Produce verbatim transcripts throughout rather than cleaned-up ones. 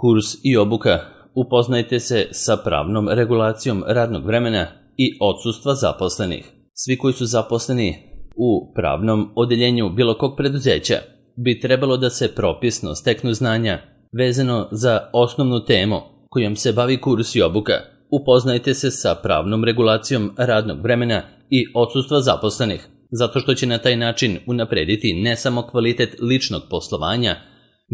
Kurs i obuka. Upoznajte se sa pravnom regulacijom radnog vremena i odsustva zaposlenih. Svi koji su zaposleni u pravnom odeljenju bilo kog preduzeća bi trebalo da se propisno steknu znanja vezano za osnovnu temu kojom se bavi kurs i obuka. Upoznajte se sa pravnom regulacijom radnog vremena i odsustva zaposlenih, zato što će na taj način unaprediti ne samo kvalitet ličnog poslovanja,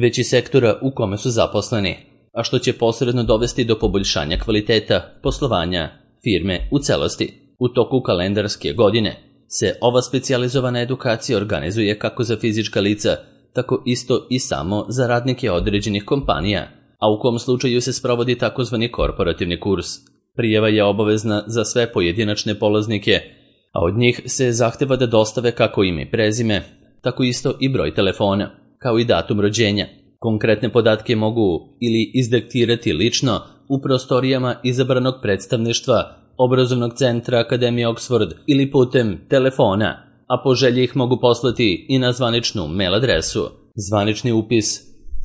već i sektora u kome su zaposleni, a što će posredno dovesti do poboljšanja kvaliteta poslovanja firme u celosti. U toku kalendarske godine se ova specijalizovana edukacija organizuje kako za fizička lica, tako isto i samo za radnike određenih kompanija, a u kom slučaju se sprovodi takozvani korporativni kurs. Prijava je obavezna za sve pojedinačne polaznike, a od njih se zahteva da dostave kako ime i prezime, tako isto i broj telefona, kao i datum rođenja. Konkretne podatke mogu ili izdiktirati lično u prostorijama izabranog predstavništva Obrazovnog centra Akademije Oxford ili putem telefona, a po želji ih mogu poslati i na zvaničnu mail adresu. Zvanični upis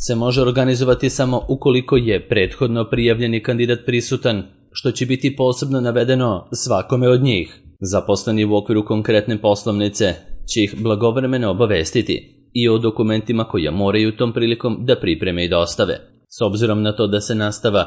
se može organizovati samo ukoliko je prethodno prijavljeni kandidat prisutan, što će biti posebno navedeno svakome od njih. Zaposleni u okviru konkretne poslovnice će ih blagovremeno obavestiti i o dokumentima koje moraju tom prilikom da pripreme i dostave. S obzirom na to da se nastava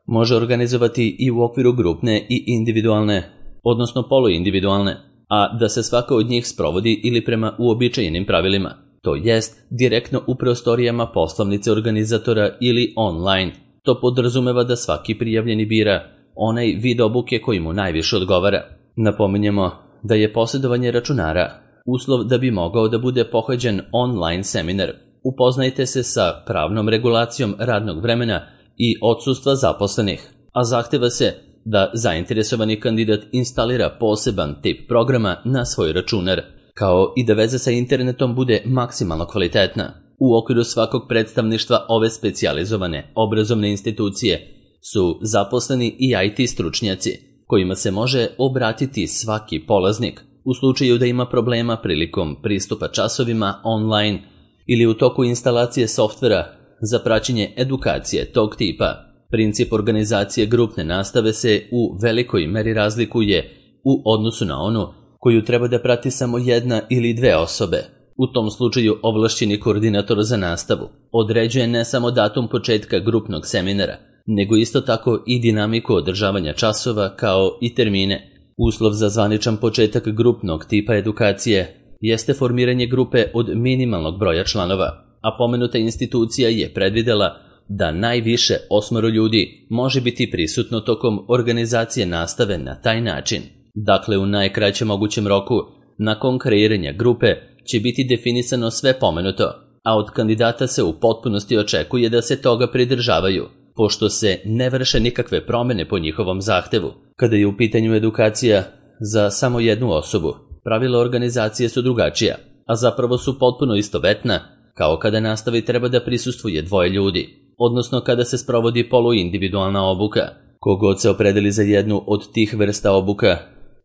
može organizovati i u okviru grupne i individualne, odnosno poluindividualne, a da se svaka od njih sprovodi ili prema uobičajenim pravilima, to jest direktno u prostorijama poslovnice organizatora ili online. To podrazumeva da svaki prijavljeni bira onaj vid obuke koji mu najviše odgovara. Napominjemo da je posjedovanje računara uslov da bi mogao da bude pohađen online seminar. Upoznajte se sa pravnom regulacijom radnog vremena i odsustva zaposlenih, a zahteva se da zainteresovani kandidat instalira poseban tip programa na svoj računar, kao i da veza sa internetom bude maksimalno kvalitetna. U okviru svakog predstavništva ove specijalizovane obrazovne institucije su zaposleni i I T stručnjaci, kojima se može obratiti svaki polaznik u slučaju da ima problema prilikom pristupa časovima online ili u toku instalacije softvera za praćenje edukacije tog tipa. Princip organizacije grupne nastave se u velikoj meri razlikuje u odnosu na onu koju treba da prati samo jedna ili dve osobe. U tom slučaju ovlašćeni koordinator za nastavu određuje ne samo datum početka grupnog seminara, nego isto tako i dinamiku održavanja časova kao i termine. Uslov za zvaničan početak grupnog tipa edukacije jeste formiranje grupe od minimalnog broja članova, a pomenuta institucija je predvidela da najviše osmoro ljudi može biti prisutno tokom organizacije nastave na taj način. Dakle, u najkraćem mogućem roku, nakon kreiranja grupe, će biti definisano sve pomenuto, a od kandidata se u potpunosti očekuje da se toga pridržavaju, pošto se ne vrše nikakve promene po njihovom zahtevu. Kada je u pitanju edukacija za samo jednu osobu, pravila organizacije su drugačija, a zapravo su potpuno istovetna, kao kada nastavi treba da prisustvuje dvoje ljudi, odnosno kada se sprovodi poluindividualna obuka. Kogod se opredeli za jednu od tih vrsta obuka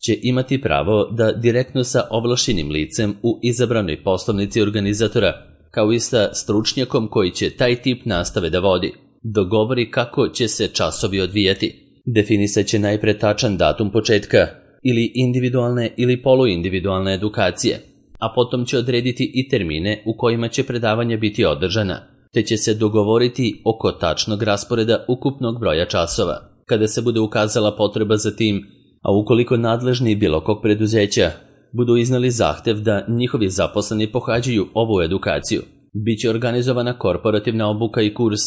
će imati pravo da direktno sa ovlašćenim licem u izabranoj poslovnici organizatora, kao i sa stručnjakom koji će taj tip nastave da vodi, dogovori kako će se časovi odvijati. Definisat će najpre tačan datum početka ili individualne ili poluindividualne edukacije, a potom će odrediti i termine u kojima će predavanja biti održana, te će se dogovoriti oko tačnog rasporeda ukupnog broja časova. Kada se bude ukazala potreba za tim, a ukoliko nadležni bilo kog preduzeća budu iznali zahtev da njihovi zaposleni pohađaju ovu edukaciju, bit će organizovana korporativna obuka i kurs.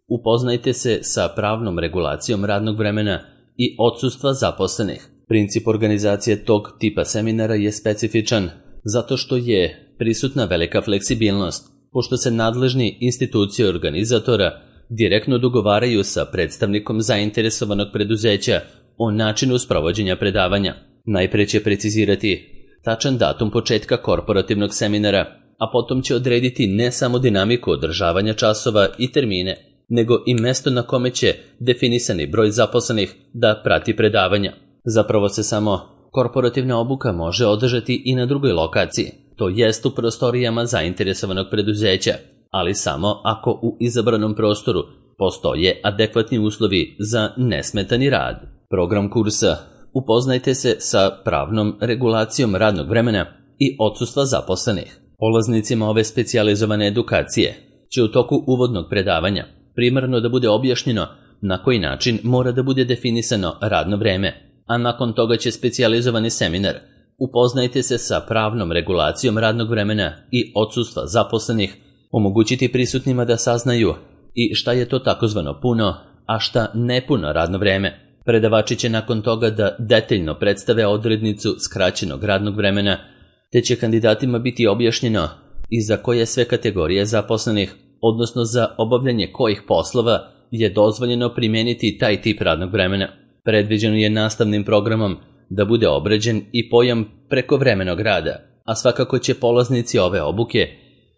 Upoznajte se sa pravnom regulacijom radnog vremena i odsustva zaposlenih. Princip organizacije tog tipa seminara je specifičan zato što je prisutna velika fleksibilnost, pošto se nadležni institucije organizatora direktno dogovaraju sa predstavnikom zainteresovanog preduzeća o načinu sprovođenja predavanja. Najpre će precizirati tačan datum početka korporativnog seminara, a potom će odrediti ne samo dinamiku održavanja časova i termine, nego i mesto na kome će definisani broj zaposlenih da prati predavanja. Zapravo se samo korporativna obuka može održati i na drugoj lokaciji, to jest u prostorijama zainteresovanog preduzeća, ali samo ako u izabranom prostoru Postoje adekvatni uslovi za nesmetani rad. Program kursa Upoznajte se sa pravnom regulacijom radnog vremena i odsustva zaposlenih. Polaznicima ove specijalizovane edukacije će u toku uvodnog predavanja primarno da bude objašnjeno na koji način mora da bude definisano radno vreme, a nakon toga će specijalizovani seminar Upoznajte se sa pravnom regulacijom radnog vremena i odsustva zaposlenih omogućiti prisutnima da saznaju i šta je to takozvano puno, a šta nepuno radno vreme. Predavači će nakon toga da detaljno predstave odrednicu skraćenog radnog vremena, te će kandidatima biti objašnjeno i za koje sve kategorije zaposlenih, odnosno za obavljanje kojih poslova je dozvoljeno primijeniti taj tip radnog vremena. Predviđeno je nastavnim programom da bude obrađen i pojam prekovremenog rada, a svakako će polaznici ove obuke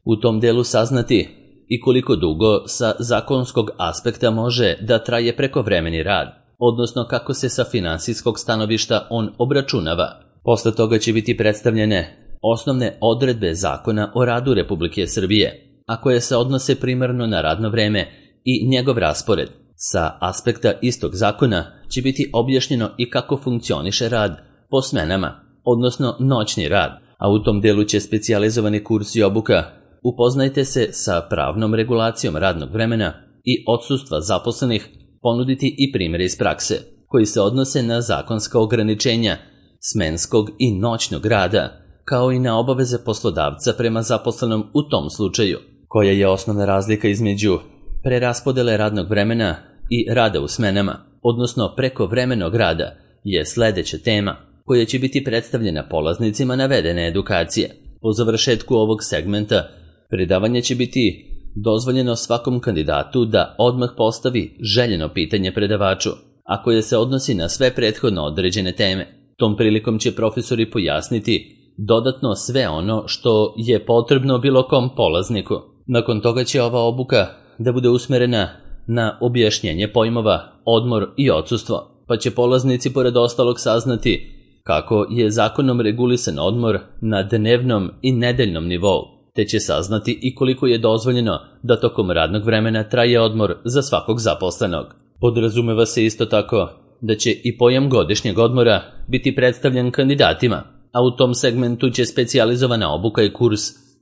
u tom delu saznati i koliko dugo sa zakonskog aspekta može da traje prekovremeni rad, odnosno kako se sa finansijskog stanovišta on obračunava. Posle toga će biti predstavljene osnovne odredbe Zakona o radu Republike Srbije, a koje se odnose primarno na radno vreme i njegov raspored. Sa aspekta istog zakona će biti objašnjeno i kako funkcioniše rad po smenama, odnosno noćni rad, a u tom delu će specijalizovani kurs i obuka Upoznajte se sa pravnom regulacijom radnog vremena i odsustva zaposlenih ponuditi i primjere iz prakse, koji se odnose na zakonska ograničenja smenskog i noćnog rada, kao i na obaveze poslodavca prema zaposlenom u tom slučaju, koja je osnovna razlika između preraspodele radnog vremena i rada u smenama, odnosno prekovremenog rada, je sledeća tema koja će biti predstavljena polaznicima navedene edukacije. Po završetku ovog segmenta predavanje će biti dozvoljeno svakom kandidatu da odmah postavi željeno pitanje predavaču, a koje se odnosi na sve prethodno određene teme. Tom prilikom će profesori pojasniti dodatno sve ono što je potrebno bilo kom polazniku. Nakon toga će ova obuka da bude usmerena na objašnjenje pojmova odmor i odsustvo, pa će polaznici pored ostalog saznati kako je zakonom regulisan odmor na dnevnom i nedeljnom nivou, te će saznati i koliko je dozvoljeno da tokom radnog vremena traje odmor za svakog zaposlenog. Podrazumeva se isto tako da će i pojam godišnjeg odmora biti predstavljen kandidatima, a u tom segmentu će specijalizovana obuka i kurs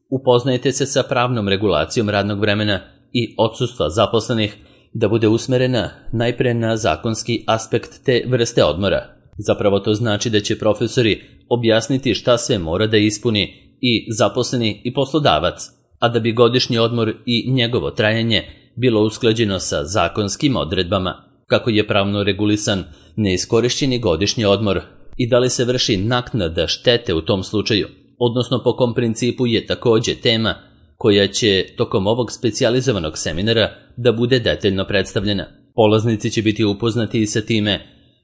Upoznajte se sa pravnom regulacijom radnog vremena i odsustva zaposlenih da bude usmerena najpre na zakonski aspekt te vrste odmora. Zapravo to znači da će profesori objasniti šta sve mora da ispuni i zaposleni i poslodavac, a da bi godišnji odmor i njegovo trajanje bilo usklađeno sa zakonskim odredbama, kako je pravno regulisan neiskorišćeni godišnji odmor i da li se vrši naknada štete u tom slučaju, odnosno po kom principu je takođe tema koja će tokom ovog specijalizovanog seminara da bude detaljno predstavljena. Polaznici će biti upoznati i sa time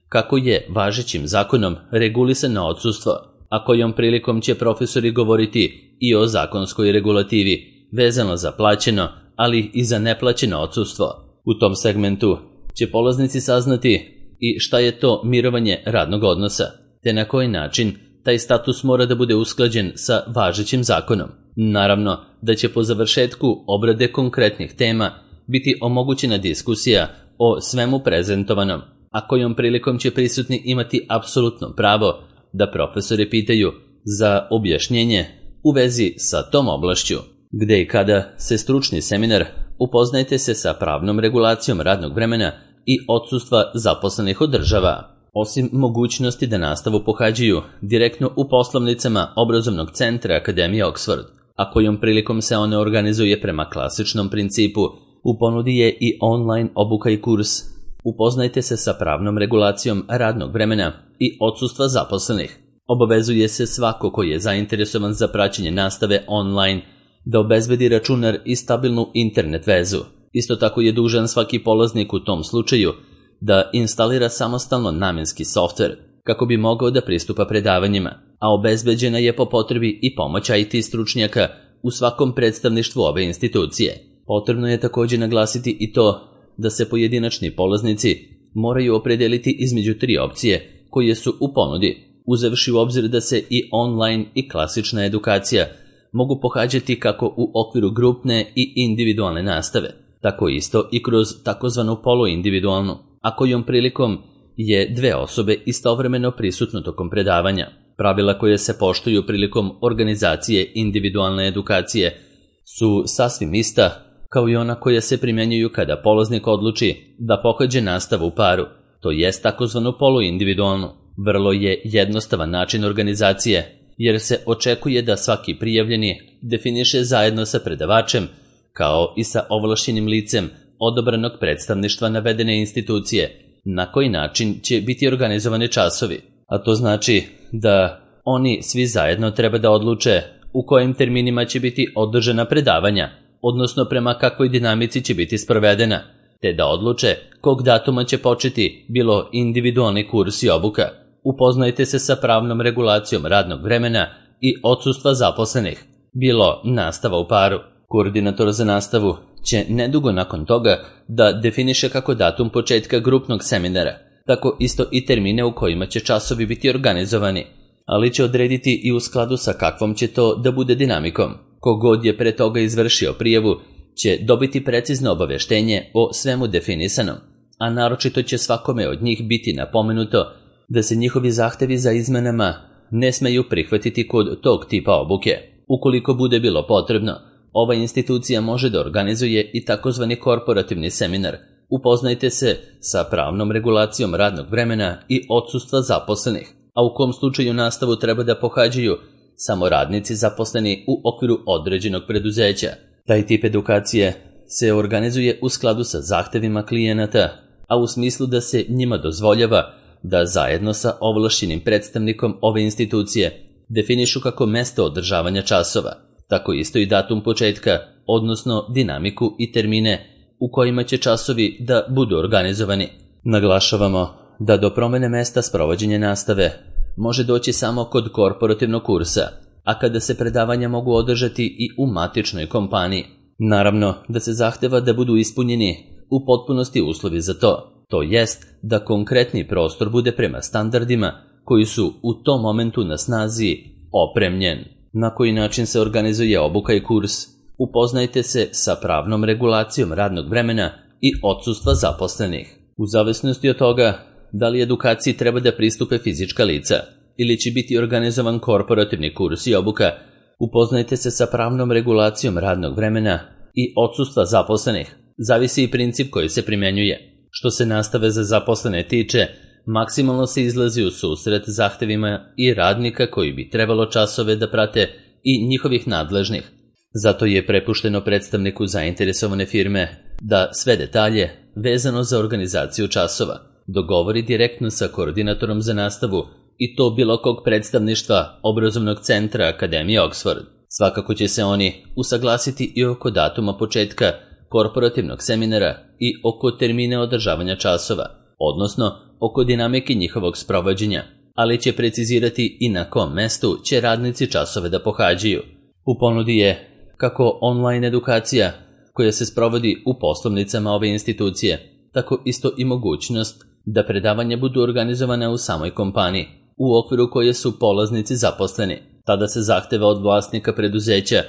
kako je važećim zakonom regulisano odsustvo, a kojom prilikom će profesori govoriti i o zakonskoj regulativi vezano za plaćeno, ali i za neplaćeno odsustvo. U tom segmentu će polaznici saznati i šta je to mirovanje radnog odnosa, te na koji način taj status mora da bude usklađen sa važećim zakonom. Naravno da će po završetku obrade konkretnih tema biti omogućena diskusija o svemu prezentovanom, a kojom prilikom će prisutni imati apsolutno pravo da profesori pitaju za objašnjenje u vezi sa tom oblašću. Gde i kada se stručni seminar Upoznajte se sa pravnom regulacijom radnog vremena i odsustva zaposlenih održava. Osim mogućnosti da nastavu pohađaju direktno u poslovnicama obrazovnog centra Akademije Oxford, a kojom prilikom se one organizuje prema klasičnom principu, u ponudi je i online obuka i kurs Upoznajte se sa pravnom regulacijom radnog vremena i odsustva zaposlenih. Obavezuje se svako ko je zainteresovan za praćenje nastave online da obezbedi računar i stabilnu internet vezu. Isto tako je dužan svaki polaznik u tom slučaju da instalira samostalno namenski softver kako bi mogao da pristupa predavanjima, a obezbeđena je po potrebi i pomoć I T stručnjaka u svakom predstavništvu ove institucije. Potrebno je također naglasiti i to da se pojedinačni polaznici moraju opredeliti između tri opcije koje su u ponudi, uzevši u obzir da se i online i klasična edukacija mogu pohađati kako u okviru grupne i individualne nastave, tako isto i kroz takozvanu poluindividualnu, a kojom prilikom je dve osobe istovremeno prisutno tokom predavanja. Pravila koje se poštuju prilikom organizacije individualne edukacije su sasvim ista kao i ona koja se primjenjuju kada polaznik odluči da pohađa nastavu u paru, to jest takozvanu poluindividualnu. Vrlo je jednostavan način organizacije, jer se očekuje da svaki prijavljeni definiše zajedno sa predavačem, kao i sa ovlašćenim licem odabranog predstavništva navedene institucije, na koji način će biti organizovani časovi. A to znači da oni svi zajedno treba da odluče u kojim terminima će biti održana predavanja, odnosno prema kakvoj dinamici će biti sprovedena, te da odluče kog datuma će početi bilo individualni kurs i obuka. Upoznajte se sa pravnom regulacijom radnog vremena i odsustva zaposlenih, bilo nastava u paru. Koordinator za nastavu će nedugo nakon toga da definiše kako datum početka grupnog seminara, tako isto i termine u kojima će časovi biti organizovani, ali će odrediti i u skladu sa kakvom će to da bude dinamikom. Kogod je pre toga izvršio prijavu će dobiti precizno obaveštenje o svemu definisanom, a naročito će svakome od njih biti napomenuto da se njihovi zahtevi za izmenama ne smeju prihvatiti kod tog tipa obuke. Ukoliko bude bilo potrebno, ova institucija može da organizuje i takozvani korporativni seminar. Upoznajte se sa pravnom regulacijom radnog vremena i odsustva zaposlenih, a u kom slučaju nastavu treba da pohađaju samo radnici zaposleni u okviru određenog preduzeća. Taj tip edukacije se organizuje u skladu sa zahtevima klijenata, a u smislu da se njima dozvoljava da zajedno sa ovlašćenim predstavnikom ove institucije definišu kako mesto održavanja časova, tako isto i datum početka, odnosno dinamiku i termine u kojima će časovi da budu organizovani. Naglašavamo da do promene mesta sprovođenja nastave može doći samo kod korporativnog kursa, a kada se predavanja mogu održati i u matičnoj kompaniji. Naravno da se zahteva da budu ispunjeni u potpunosti uslovi za to, to jest da konkretni prostor bude prema standardima koji su u tom momentu na snazi opremljen. Na koji način se organizuje obuka i kurs? Upoznajte se sa pravnom regulacijom radnog vremena i odsustva zaposlenih. U zavisnosti od toga da li edukaciji treba da pristupe fizička lica ili će biti organizovan korporativni kurs i obuka, upoznajte se sa pravnom regulacijom radnog vremena i odsustva zaposlenih. Zavisi i princip koji se primjenjuje. Što se nastave za zaposlene tiče, maksimalno se izlazi u susret zahtevima i radnika koji bi trebalo časove da prate i njihovih nadležnih. Zato je prepušteno predstavniku zainteresovane firme da sve detalje vezano za organizaciju časova dogovori direktno sa koordinatorom za nastavu i to bilo kog predstavništva obrazovnog centra Akademije Oxford. Svakako će se oni usaglasiti i oko datuma početka korporativnog seminara i oko termine održavanja časova, odnosno oko dinamike njihovog sprovođenja, ali će precizirati i na kom mestu će radnici časove da pohađaju. U ponudi je kako online edukacija koja se sprovodi u poslovnicama ove institucije, tako isto i mogućnost da predavanja budu organizovane u samoj kompaniji, u okviru koje su polaznici zaposleni. Tada se zahteva od vlasnika preduzeća,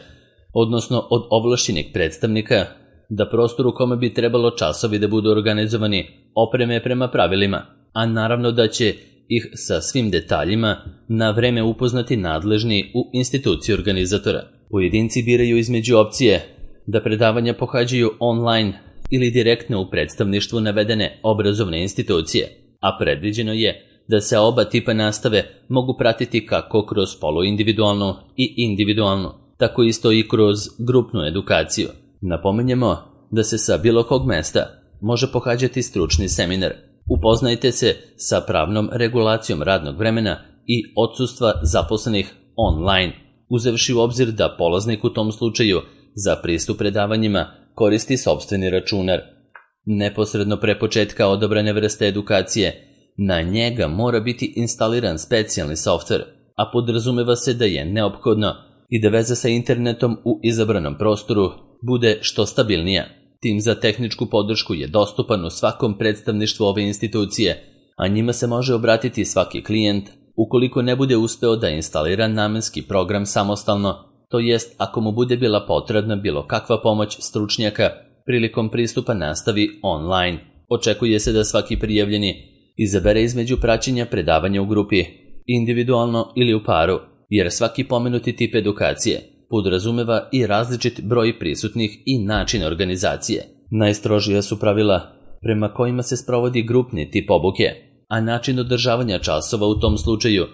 odnosno od ovlašćenih predstavnika, da prostor u kome bi trebalo časovi da budu organizovani opreme prema pravilima, a naravno da će ih sa svim detaljima na vreme upoznati nadležni u instituciji organizatora. Pojedinci biraju između opcije da predavanja pohađaju online ili direktno u predstavništvu navedene obrazovne institucije, a predviđeno je da se oba tipa nastave mogu pratiti kako kroz poluindividualnu i individualnu, tako isto i kroz grupnu edukaciju. Napominjemo da se sa bilo kog mesta može pohađati stručni seminar. Upoznajte se sa pravnom regulacijom radnog vremena i odsustva zaposlenih online, uzevši u obzir da polaznik u tom slučaju za pristup predavanjima koristi sopstveni računar. Neposredno pre početka odabrane vrste edukacije, na njega mora biti instaliran specijalni softver, a podrazumeva se da je neophodno i da veza sa internetom u izabranom prostoru bude što stabilnija. Tim za tehničku podršku je dostupan u svakom predstavništvu ove institucije, a njima se može obratiti svaki klijent ukoliko ne bude uspeo da instalira namenski program samostalno, to jest ako mu bude bila potrebna bilo kakva pomoć stručnjaka prilikom pristupa nastavi online. Očekuje se da svaki prijavljeni izabere između praćenja predavanja u grupi, individualno ili u paru, jer svaki pomenuti tip edukacije podrazumeva i različit broj prisutnih i način organizacije. Najstrožija su pravila prema kojima se sprovodi grupni tip obuke, a način održavanja časova u tom slučaju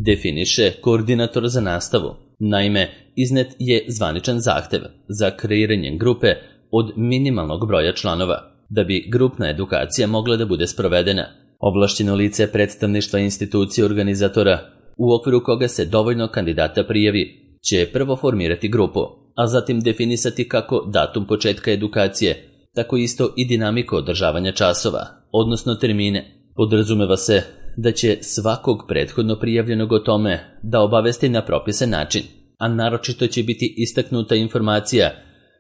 definiše koordinator za nastavu. Naime, iznet je zvaničan zahtev za kreiranje grupe od minimalnog broja članova, da bi grupna edukacija mogla da bude sprovedena. Ovlašćeno lice predstavništva institucije organizatora, u okviru koga se dovoljno kandidata prijavi, će prvo formirati grupu, a zatim definisati kako datum početka edukacije, tako isto i dinamiku održavanja časova, odnosno termine. Podrazumeva se da će svakog prethodno prijavljenog o tome da obavesti na propisan način, a naročito će biti istaknuta informacija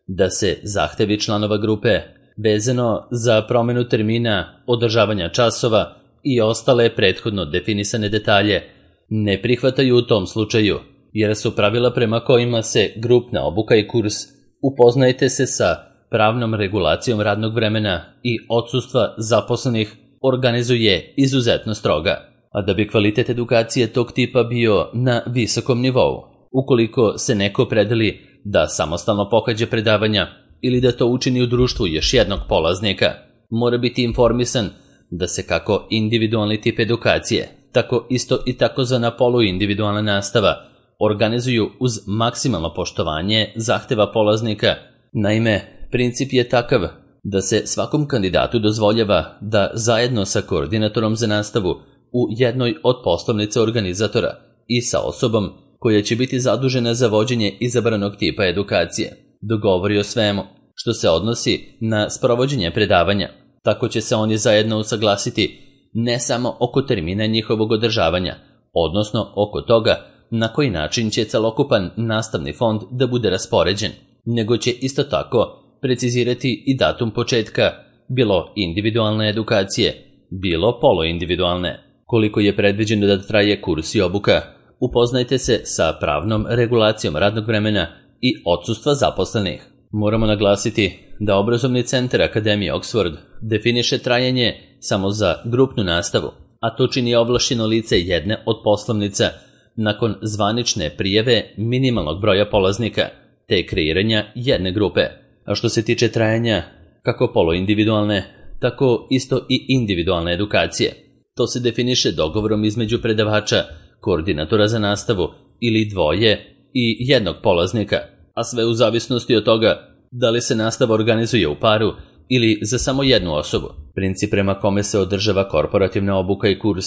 da se zahtevi članova grupe vezano za promenu termina, održavanja časova i ostale prethodno definisane detalje ne prihvataju u tom slučaju, jer su pravila prema kojima se grupna obuka i kurs upoznajte se sa pravnom regulacijom radnog vremena i odsustva zaposlenih organizuje izuzetno stroga, a da bi kvalitet edukacije tog tipa bio na visokom nivou. Ukoliko se neko predeli da samostalno pohađa predavanja ili da to učini u društvu još jednog polaznika, mora biti informisan da se kako individualni tip edukacije, tako isto i takozvana poluindividualna nastava organizuju uz maksimalno poštovanje zahteva polaznika. Naime, princip je takav da se svakom kandidatu dozvoljava da zajedno sa koordinatorom za nastavu u jednoj od poslovnica organizatora i sa osobom koja će biti zadužena za vođenje izabranog tipa edukacije dogovori o svemu što se odnosi na sprovođenje predavanja. Tako će se oni zajedno usaglasiti ne samo oko termina njihovog održavanja, odnosno oko toga na koji način će celokupan nastavni fond da bude raspoređen, nego će isto tako precizirati i datum početka bilo individualne edukacije, bilo poluindividualne. Koliko je predviđeno da traje kurs i obuka, upoznajte se sa pravnom regulacijom radnog vremena i odsustva zaposlenih. Moramo naglasiti da obrazovni centar Akademije Oxford definiše trajanje samo za grupnu nastavu, a to čini ovlašćeno lice jedne od poslovnica nakon zvanične prijave minimalnog broja polaznika, te kreiranja jedne grupe. A što se tiče trajanja kako poluindividualne, tako isto i individualne edukacije, to se definiše dogovorom između predavača, koordinatora za nastavu ili dvoje i jednog polaznika, a sve u zavisnosti od toga da li se nastava organizuje u paru ili za samo jednu osobu. Princip prema kome se održava korporativna obuka i kurs.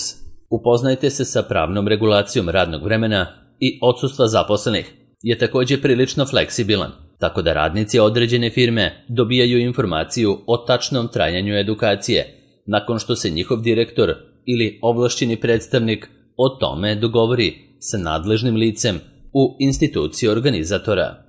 Upoznajte se sa pravnom regulacijom radnog vremena i odsustva zaposlenih je također prilično fleksibilan, tako da radnici određene firme dobijaju informaciju o tačnom trajanju edukacije nakon što se njihov direktor ili ovlašćeni predstavnik o tome dogovori sa nadležnim licem u instituciji organizatora.